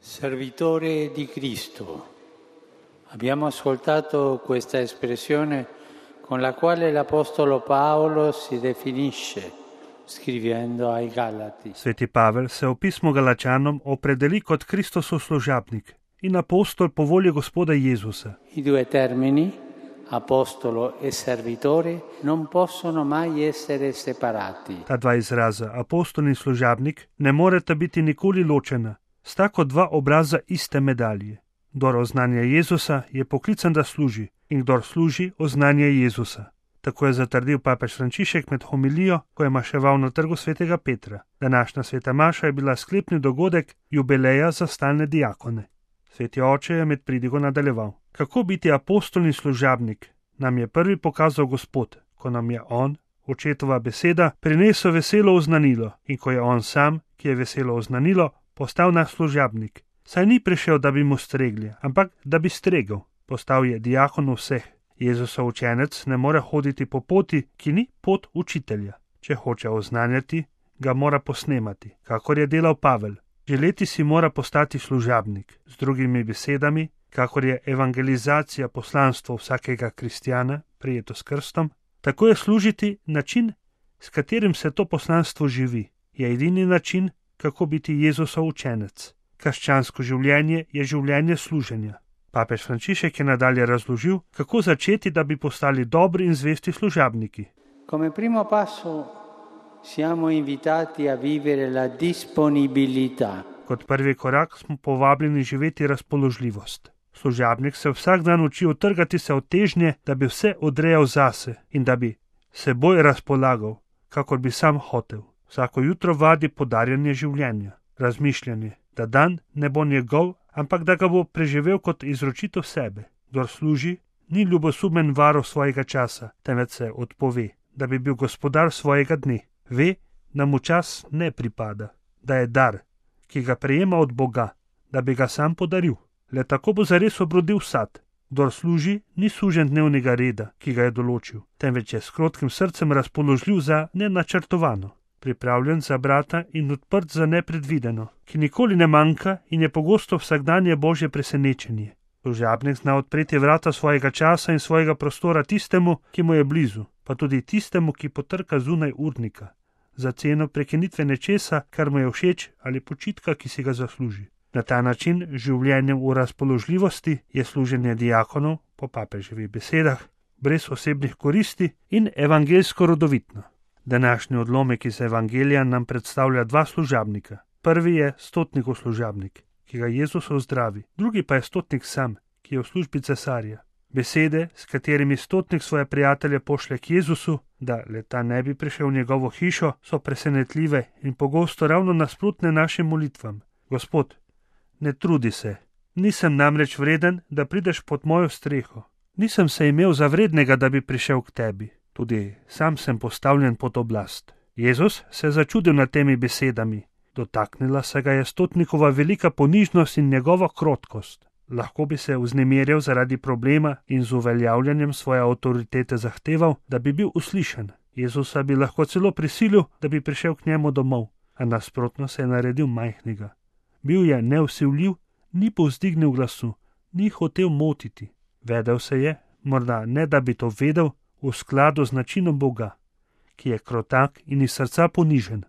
Servitore di Cristo. Abbiamo ascoltato questa espressione con la quale l'Apostolo Paolo si definisce, scrivendo ai Galati. Sveti Pavel se v pismu Galačanom opredeli kot Kristosov služabnik in apostol po volji Gospoda Jezusa. I due termini, apostolo e servitore, non possono mai essere separati. Ta dva izraza, apostol in služabnik, ne moreta biti nikoli ločena, sta kot dva obraza iste medalje. Kdor oznanja Jezusa, je poklican, da služi, in kdor služi, oznanja Jezusa. Tako je zatrdil papež Frančišek med homilijo, ko je maševal na trgu svetega Petra. Današnja sveta maša je bila sklepni dogodek jubileja za stalne diakone. Sveti oče je med pridigo nadaljeval. Kako biti apostol in služabnik, nam je prvi pokazal Gospod, ko nam je on, očetova beseda, prinesel veselo oznanilo, in ko je on sam, ki je veselo oznanilo, postal naš služabnik. Saj ni prišel, da bi mu stregli, ampak da bi stregel. Postal je diakon vseh. Jezusov učenec ne more hoditi po poti, ki ni pot učitelja. Če hoče oznanjati, ga mora posnemati, kakor je delal Pavel. Želeti si mora postati služabnik. Z drugimi besedami, kakor je evangelizacija poslanstvo vsakega kristjana, prijeto s krstom, tako je služiti način, s katerim se to poslanstvo živi. Je edini način, kako biti Jezusov učenec. Krščansko življenje je življenje služenja. Papež Frančišek je nadalje razložil, kako začeti, da bi postali dobri in zvesti služabniki. Come primo passo siamo invitati a vivere la disponibilità. Kot prvi korak smo povabljeni živeti razpoložljivost. Služabnik se vsak dan uči utrgati se od težnje, da bi vse odrejal zase in da bi seboj razpolagal, kakor bi sam hotel. Vsako jutro vadi podarjanje življenja, razmišljanje, da dan ne bo njegov, ampak da ga bo preživel kot izročitev sebe. Kdor služi, ni ljubosumen varuh svojega časa, temveč se odpove, da bi bil gospodar svojega dne. Ve, da mu čas ne pripada, da je dar, ki ga prejema od Boga, da bi ga sam podaril. Le tako bo zares obrodil sad. Kdor služi, ni sužen dnevnega reda, ki ga je določil, temveč je s krotkim srcem razpoložljiv za nenačrtovano, pripravljen za brata in odprt za nepredvideno, ki nikoli ne manjka in je pogosto vsakdanje Božje presenečenje. Služabnik zna odpreti vrata svojega časa in svojega prostora tistemu, ki mu je blizu, pa tudi tistemu, ki potrka zunaj urnika, za ceno prekinitve nečesa, kar mu je všeč, ali počitka, ki si ga zasluži. Na ta način, življenjem v razpoložljivosti, je služenje diakonov, po papeževih besedah, brez osebnih koristi in evangeljsko rodovitno. Današnji odlomek iz evangelija nam predstavlja dva služabnika. Prvi je stotnikov služabnik, ki ga Jezus ozdravi, drugi pa je stotnik sam, ki je v službi cesarja. Besede, s katerimi stotnik svoje prijatelje pošlje k Jezusu, da le ta ne bi prišel v njegovo hišo, so presenetljive in pogosto ravno nasprotne našim molitvam. Gospod, ne trudi se, nisem namreč vreden, da prideš pod mojo streho. Nisem se imel za vrednega, da bi prišel k tebi. Tudi sam sem postavljen pod oblast. Jezus se je začudil nad temi besedami. Dotaknila se ga je stotnikova velika ponižnost in njegova krotkost. Lahko bi se vznemirjal zaradi problema in z uveljavljanjem svoje avtoritete zahteval, da bi bil uslišan. Jezusa bi lahko celo prisilil, da bi prišel k njemu domov, a nasprotno se je naredil majhnega. Bil je nevsiljiv, ni povzdignil glasu, ni hotel motiti. Vedel se je, morda ne da bi to vedel, v skladu z načinom Boga, ki je krotak in iz srca ponižen.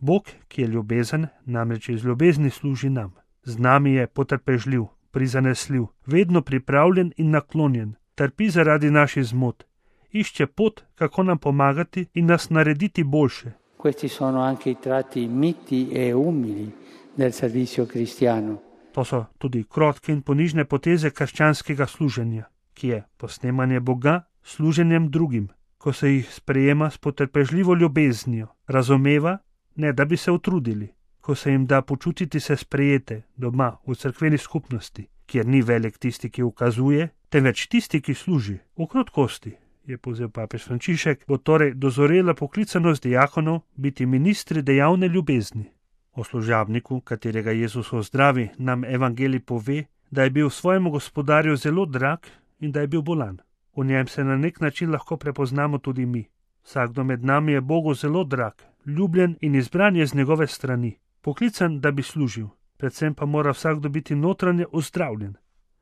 Bog, ki je ljubezen, namreč iz ljubezni služi nam. Z nami je potrpežljiv, prizanesljiv, vedno pripravljen in naklonjen, trpi zaradi naših zmot, išče pot, kako nam pomagati in nas narediti boljše. Questi sono anche i tratti miti e umili del servizio cristiano. To so tudi krotke in ponižne poteze krščanskega služenja, ki je posnemanje Boga služenjem drugim, ko se jih sprejema s potrpežljivo ljubeznijo, razumeva, ne da bi se utrudili, ko se jim da počutiti se sprejete doma v cerkveni skupnosti, kjer ni velik tisti, ki ukazuje, temveč tisti, ki služi. V krotkosti, je povzel papež Frančišek, bo torej dozorela poklicanost diakonov biti ministri dejavne ljubezni. O služabniku, katerega Jezus ozdravi, nam evangelij pove, da je bil svojemu gospodarju zelo drag in da je bil bolan. V njem se na nek način lahko prepoznamo tudi mi. Vsakdo med nami je Bogu zelo drag, ljubljen in izbran je z njegove strani, poklican, da bi služil. predvsem pa mora vsakdo biti notranje ozdravljen.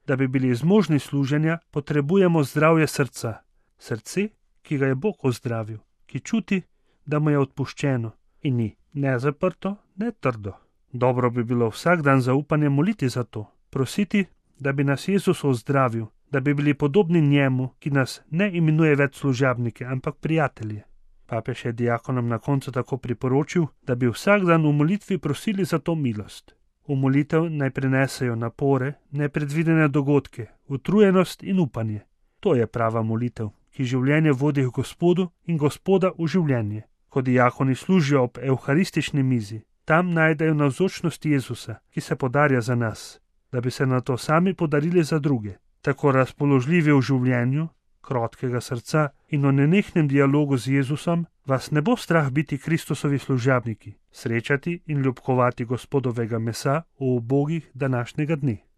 Da bi bili zmožni služenja, potrebujemo zdravje srca. Srce, ki ga je Bog ozdravil, ki čuti, da mu je odpuščeno in ni ne zaprto, ne trdo. Dobro bi bilo vsak dan zaupanje moliti za to, prositi, da bi nas Jezus ozdravil, da bi bili podobni njemu, ki nas ne imenuje več služabnike, ampak prijatelje. Papež je diakonom na koncu tako priporočil, da bi vsak dan v molitvi prosili za to milost. V molitev naj prinesejo napore, nepredvidene dogodke, utrujenost in upanje. To je prava molitev, ki življenje vodi k Gospodu in Gospoda v življenje. Ko diakoni služijo ob evharistični mizi, tam najdejo navzočnost Jezusa, ki se podarja za nas, da bi se nato sami podarili za druge. Tako razpoložljivi v življenju, krotkega srca in o nenehnem dialogu z Jezusom, vas ne bo strah biti Kristusovi služabniki, srečati in ljubkovati Gospodovega mesa v ubogih današnjega dne.